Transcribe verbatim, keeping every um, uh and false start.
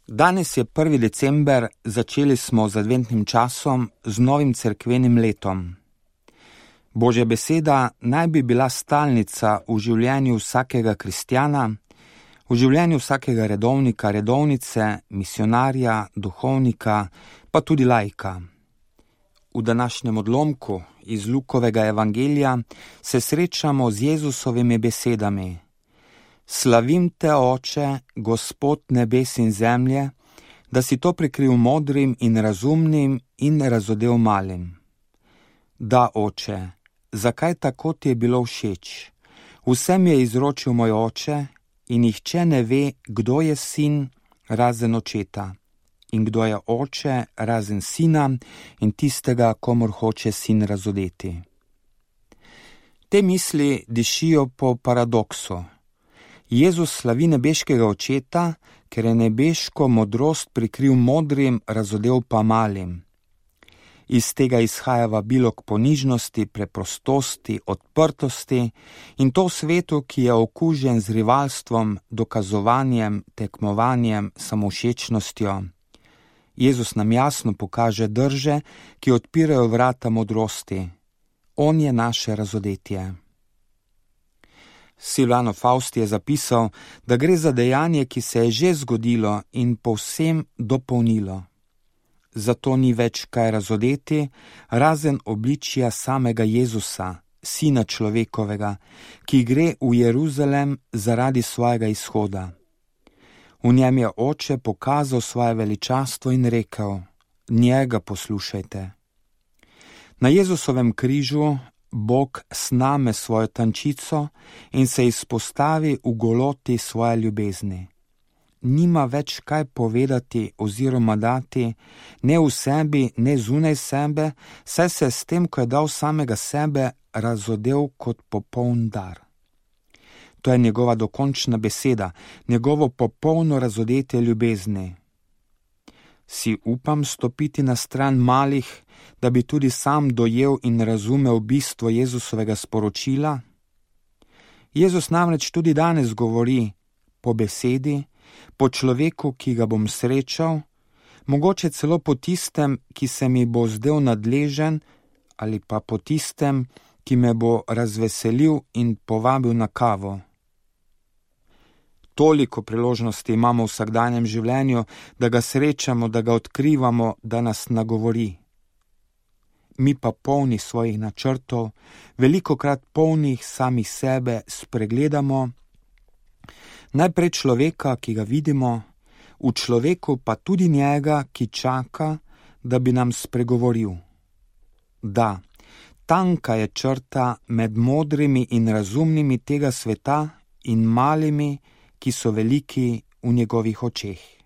Danes je prvi december, začeli smo z adventnim časom, z novim cerkvenim letom. Božja beseda naj bi bila stalnica v življenju vsakega kristjana, v življenju vsakega redovnika, redovnice, misionarja, duhovnika, pa tudi laika. V današnjem odlomku iz Lukovega evangelija se srečamo z Jezusovimi besedami: Slavim te, Oče, Gospod nebes in zemlje, da si to prikril modrim in razumnim in razodel malim. Da, Oče, zakaj tako ti je bilo všeč? Vsem je izročil moj Oče in nihče ne ve, kdo je sin razen očeta in kdo je oče razen sina in tistega, komur hoče sin razodeti. Te misli dišijo po paradoksu. Jezus slavi nebeškega očeta, ker je nebeško modrost prikril modrim, razodel pa malim. Iz tega izhaja vabilo k ponižnosti, preprostosti, odprtosti in to v svetu, ki je okužen z rivalstvom, dokazovanjem, tekmovanjem, samovšečnostjo. Jezus nam jasno pokaže drže, ki odpirajo vrata modrosti. On je naše razodetje. Silvano Fausti je zapisal, da gre za dejanje, ki se je že zgodilo in povsem dopolnilo. Zato ni več kaj razodeti, razen obličja samega Jezusa, sina človekovega, ki gre v Jeruzalem zaradi svojega izhoda. V njem je Oče pokazal svoje veličastvo in rekel: njega poslušajte. Na Jezusovem križu Bog sname svojo tančico in se izpostavi v goloti svoje ljubezni. Nima več kaj povedati oziroma dati, ne v sebi, ne zunaj sebe, saj se s tem, ko je dal samega sebe, razodel kot popoln dar. To je njegova dokončna beseda, njegovo popolno razodetje ljubezni. Si upam stopiti na stran malih, da bi tudi sam dojel in razumel bistvo Jezusovega sporočila? Jezus namreč tudi danes govori po besedi, po človeku, ki ga bom srečal, mogoče celo po tistem, ki se mi bo zdel nadležen, ali pa po tistem, ki me bo razveselil in povabil na kavo. Toliko priložnosti imamo v vsakdanjem življenju, da ga srečamo, da ga odkrivamo, da nas nagovori. Mi pa polni svojih načrtov, velikokrat polnih samih sebe, spregledamo najprej človeka, ki ga vidimo, v človeku pa tudi njega, ki čaka, da bi nam spregovoril. Da, tanka je črta med modrimi in razumnimi tega sveta in malimi, ki so veliki v njegovih očeh.